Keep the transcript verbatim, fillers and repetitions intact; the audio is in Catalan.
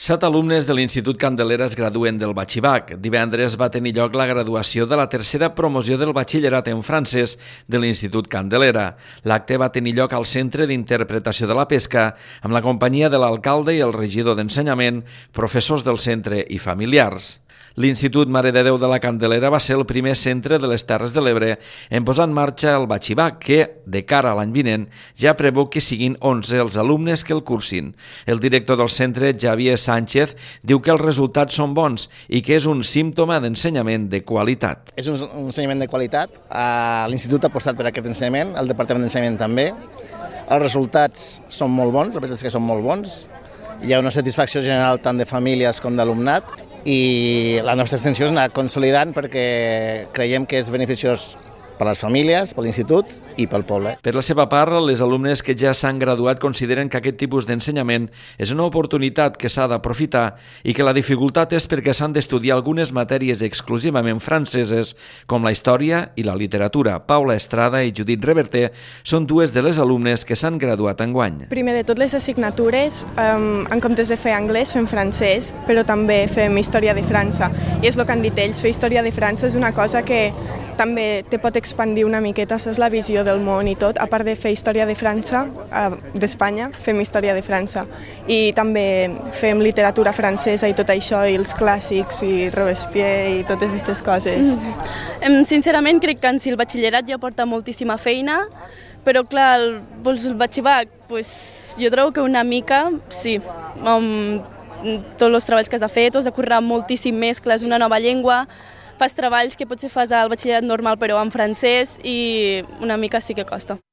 Set alumnes de l'Institut Candelera es graduen del Batxibac. Divendres va tenir lloc la graduació de la tercera promoció del batxillerat en francès de l'Institut Candelera. L'acte va tenir lloc al Centre d'Interpretació de la Pesca amb la companyia de l'alcalde i el regidor d'Ensenyament, professors del centre i familiars. L'Institut Mare de Déu de la Candelera va ser el primer centre de les Terres de l'Ebre en posar en marxa el Batxibac, que, de cara a l'any vinent, ja preveu que siguin onze els alumnes que el cursin. El director del centre, Javier Sánchez, diu que els resultats són bons i que és un símptoma d'ensenyament de qualitat. És un, un ensenyament de qualitat. L'Institut ha apostat per aquest ensenyament, el Departament d'Ensenyament també. Els resultats són molt bons, la veritat és que són molt bons. Hi ha una satisfacció general tant de famílies com d'alumnat i la nostra extensió és anar consolidant perquè creiem que és beneficiós per les famílies, per l'Institut i pel poble. Per la seva part, les alumnes que ja s'han graduat consideren que aquest tipus d'ensenyament és una oportunitat que s'ha d'aprofitar i que la dificultat és perquè s'han d'estudiar algunes matèries exclusivament franceses, com la història i la literatura. Paula Estrada i Judit Reverter són dues de les alumnes que s'han graduat enguany. Primer de tot, les assignatures, um, en comptes de fer anglès, fem francès, però també fem història de França. I és el que han dit ells, fer història de França és una cosa que també te pot expandir una miqueta, saps, la visió del món i tot. A part de fer història de França, d'Espanya, fem història de França. I també fem literatura francesa i tot això, i els clàssics, i Robespierre i totes aquestes coses. Mm. Sincerament, crec que en si el batxillerat ja porta moltíssima feina, però clar, el, doncs el batxibac, pues, jo trobo que una mica, sí, um, tots els treballs que has de fer, t'has de currar moltíssim més, clar, és una nova llengua, fas treballs que potser fas al batxillerat normal però en francès i una mica sí que costa.